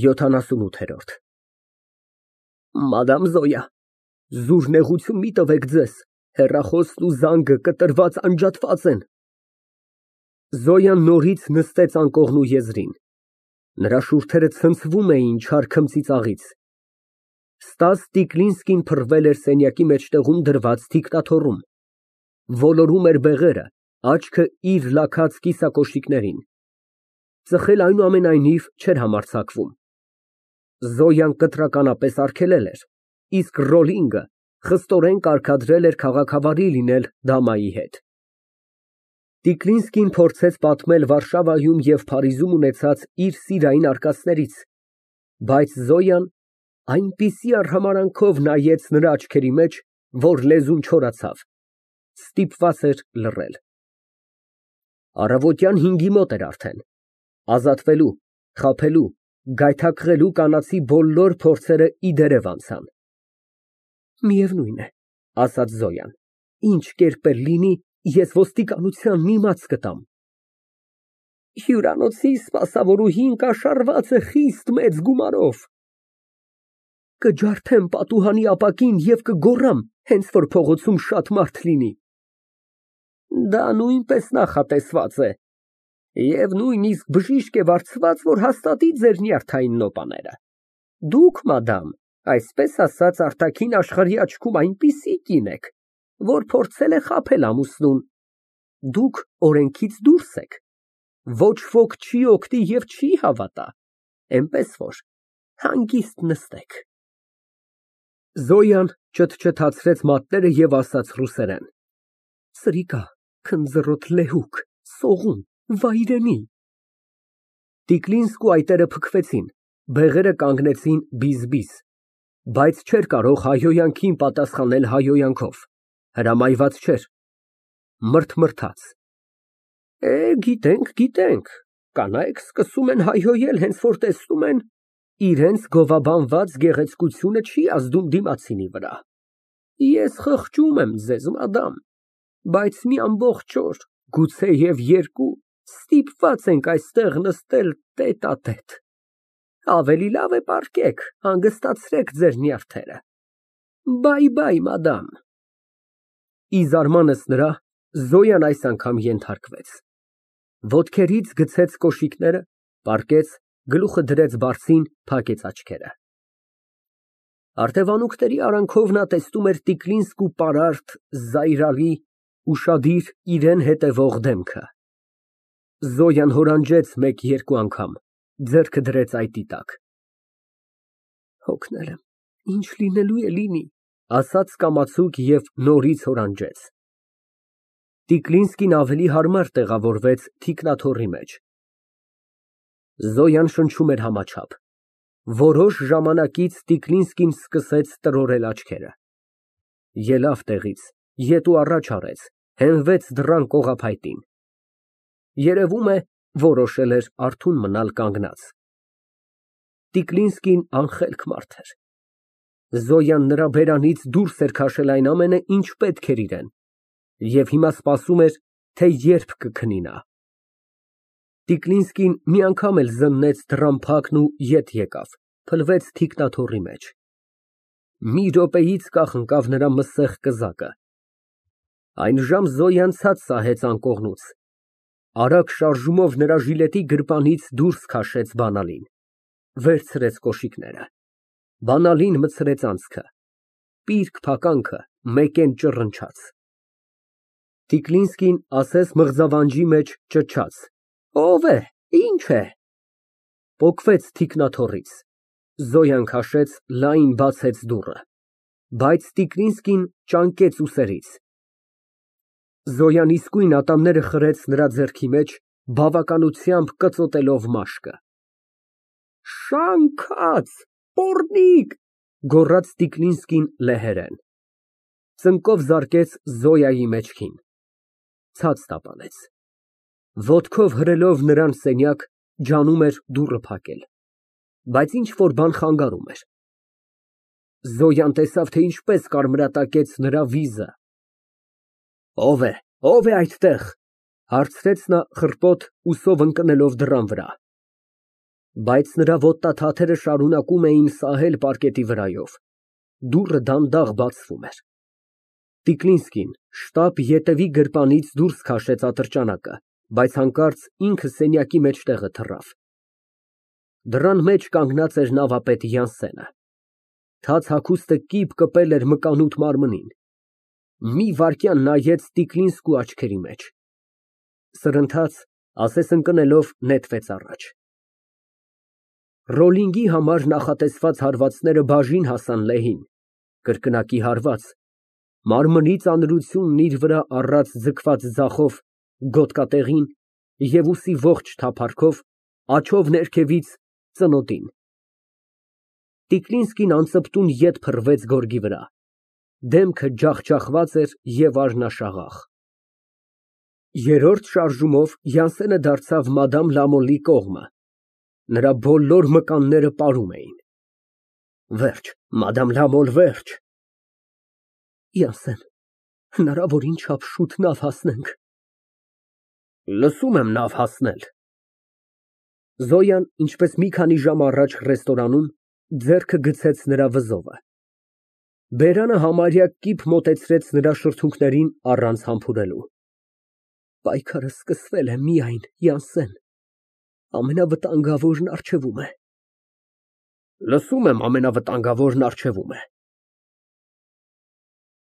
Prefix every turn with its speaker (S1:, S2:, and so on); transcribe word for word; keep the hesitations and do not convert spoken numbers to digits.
S1: յոթանասունութ Մադամ Զոյա, զուր նեղություն մի տվեք ձեզ, հեռախոսն ու զանգը կտրված անջատված են։ (Զոյան նորից նստեց անկողնու եզրին։ Նրա շուրթերը ցնցվում էին չար քմծիծաղից։ Ստաս Տիկլինսկին փռվել էր սենյակի մեջտեղում դրված թիկնաթոռում, ոլորում էր բեղերը, աչքը իր լաքած կիսակոշիկներին։ Ծխել այնուամենայնիվ չէր համարձակվում։ Զոյան կտրականապես արգելել էր, իսկ Ռոլլինգը խստորեն կարգադրել էր քաղաքավարի լինել դամայի հետ։ Տիկլինսկին փորձեց պատմել Վարշավայում և Փարիզում ունեցած իր սիրային արկածներից, բայց Զոյան այնպիսի արհամարհանքով նայեց նրա աչքերի մեջ, որ լեզուն չորացավ, ստիպված էր լռել։ Առավոտյան հինգի մոտ էր արդեն, ազատվելու, խաբելու, գայթակղելու կանացի բոլոր փորձերը ի դերև անցան։ Միևնույն է, ասաց Զոյան, ինչ կերպ էլ լինի, ես ոստիկանությանն իմաց կտամ։ Հյուրանոցի սպասավորուհին կաշառված է խիստ մեծ գումարով։ Կջարդեմ պատուհանի ապակին և կգոռամ, հենց որ փողոցում շատ մարդ լինի։ Դա նույնպես նախատեսված է, և նույնիսկ բժիշկ է վարձված, որ հաստատի ձեր նյարդային նոպաները։ Դուք, մադամ, այսպես ասած, արտաքին աշխարհի աչքում այնպիսի կին եք, որ փորձել է խաբել ամուսնուն։ Դուք օրենքից դուրս եք, ոչ ոք չի օգնի և չի հավատա, էնպես որ հանգիստ նստեք։ Զոյան չթչթացրեց մատները և ասաց ռուսերեն. Սրիկա, քնձռոտ լեհուկ, սողուն, վայրենի։ Տիկլինսկու այտերը փքվեցին, բեղերը կանգնեցին բիզ֊բիզ, բայց չէր կարող հայհոյանքին պատասխանել հայհոյանքով, հրամայված չէր, մռթմռթաց։ Է, գիտենք, գիտենք, կանայք սկսում են հայհոյել, հենց որ տեսնում են իրենց գովաբանված գեղեցկությունը չի ազդում դիմացինի վրա։ Ես խղճում եմ ձեզ, մադամ, բայց մի ամբողջ օր, գուցեև երկու, ստիպված ենք այստեղ նստել տետ֊ա֊տետ։ Ավելի լավ է պառկեք, հանգստացրեք ձեր նյարդերը։ Բայ֊բայ, մադամ։ Ի զարմանս նրա, Զոյան այս անգամ ենթարկվեց։ Ոտքերից գցեց կոշիկները, պառկեց, գլուխը դրեց բարձին, փակեց աչքերը։ Արդևանուկների արանքով նա տեսնում էր Տիկլինսկու պարարտ, զայրալի, ուշադիր իրան հետևող դեմքը։ Զոյան հորանջեց մեկ֊երկու անգամ, ձեռքը դրեց այտի տակ։ Հոգնել եմ, ինչ լինելու է լինի, ասաց կամացուկ և նորից հորանջեց։ Տիկլինսկին ավելի հարմար տեղավորվեց թիկնաթոռի մեջ։ Զոյան շնչում էր համաչափ։ Որոշ ժամանակից Տիկլինսկին սկսեց տրորել աչքերը։ Ելավ տեղից, ետ ու առաջ արեց, հենվեց դռան կողափայտին։ Երևում է, որոշել էր արթուն մնալ կանգնած։ Տիկլինսկին անխելք մարդ էր։ Զոյան նրա բերանից դուրս էր քաշել այն ամենը, ինչ պետք էր իրան, և հիմա սպասում էր, թե երբ կքնի նա։ Տիկլինսկին մի անգամ էլ զննեց դռան փակն ու ետ եկավ, փլվեց թիկնաթոռի մեջ։ Մի րոպեից կախնկավ նրա մսեղ կզակը։ Այնժամ Զոյան ցած սահեց անկողնուց, արագ շարժումով նրա ժիլետի գրպանից դուրս քաշեց բանալին, վերցրեց կոշիկները, բանալին մտցրեց անցքը, պիրկ փականքը մեկեն ճռնչաց։ Տիկլինսկին ասես մղձավանջի մեջ ճչաց. Ո՞վ է, ի՞նչ է։ Պոկվեց թիկնաթոռից, Զոյան քաշեց, լայն բացեց դուռը, բայց Տիկլինսկին ճանկեց ուսերից։ Զոյան իսկույն ատամները խրեց նրա ձեռքի մեջ, բավականությամբ կծոտելով մաշկը։ Շանքած, պոռնիկ, գոռաց Տիկլինսկին լեհերեն։ Ծնկով զարկեց Զոյայի մեջքին, ցած տապալեց։ Ոտքով հրելով նրան սենյակ, ջանում էր դուռը փակել, բայց ինչ֊որ բան խանգարում էր։ Զոյան տեսավ, թե ինչպես կարմրատակեց նրա վիզը։ Ո՞վ է, ո՞վ է այդտեղ, հարցրեց նա խռպոտ ուսով ընկնելով դռան վրա։ Բայց նրա ոտնաթաթերը շարունակում էին սահել պառկետի վրայով, դուռը դանդաղ բացվում էր։ Տիկլինսկին շտապ ետևի գրպանից դուրս քաշեց ատրճանակը, բայց հանկարծ ինքը սենյակի մեջտեղը թռավ։ Դռան մեջ կանգնած էր նավապետ Յանսենը։ Թաց հագուստը կիպ կպել էր մկանուտ մարմնին։ Մի վայրկյան նայեց Տիկլինսկու աչքերի մեջ, սրընթաց ասես ընկնելով նետվեց առաջ։ Ռոլինգի համար նախատեսված հարվածները բաժին հասան Լեհին, կրկնակի հարված, մարմնի ծանրությունն իր վրա առած ձգված ձախով գոտկատեղին և ուսի ողջ թափառքով, աջով ներքևից ծնոտին։ Տիկլինսկին անծպտուն ետ փռվեց գորգի վրա, դեմքը ջախջախված էր և արյունաշաղախ։ Երրորդ շարժումով Յանսենը դարձավ մադամ Լամոլի կողմը, նրա բոլոր մկանները պարում էին։ Վերջ, մադամ Լամոլ, վերջ։ Յանսեն, հնարավոր ինչափ շուտ նավ հասնենք։ Լսում եմ, նավ հասնել։ Զոյան, ինչպես մի քանի ժամ առաջ ռեստորանում, ձեռքը գցեց նրա վզովը։ Բերանը համարյա կիպ մոտեցրեց նրա շրթունքներին առանց համբուրելու։ Պայքարը սկսվել է միայն, Յանսեն, ամենավտանգավորն առջևում է։ Լսում եմ, ամենավտանգավորն առջևում է։